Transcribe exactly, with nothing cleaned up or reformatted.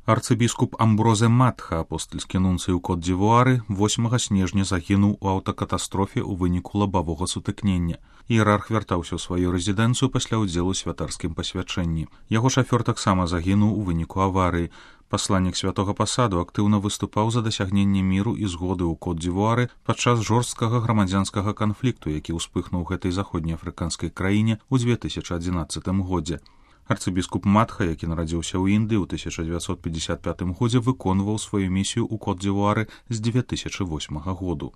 Арцыбіскуп Амброзе Матха, апостальскі нунцый у Кот-д'Івуары, восьмага снежня загінуў у аўтакатастрофе ў выніку лабавога сутыкнення. Іерарх вяртаўся ў сваю рэзідэнцыю пасля ўдзелу ў святарскім пасвячэнні. Яго шафёр таксама загінуў у выніку аварыі. Пасланнік святога пасаду актыўна выступаў за дасягненне міру і згоды ў Кот-д'Івуары падчас жорсткага грамадзянскага канфлікту, які ўспыхнуў гэтай заходнеафрыканскай краіне ў дзве тысячы адзінаццатым годзе. Арцыбіскуп Матха, які нарадзіўся ў Індыі ў тысяча дзевяцьсот пятьдесят пятым годзе, выконваў сваю місію ў Кот-д'Івуары з дзве тысячы восьмага году.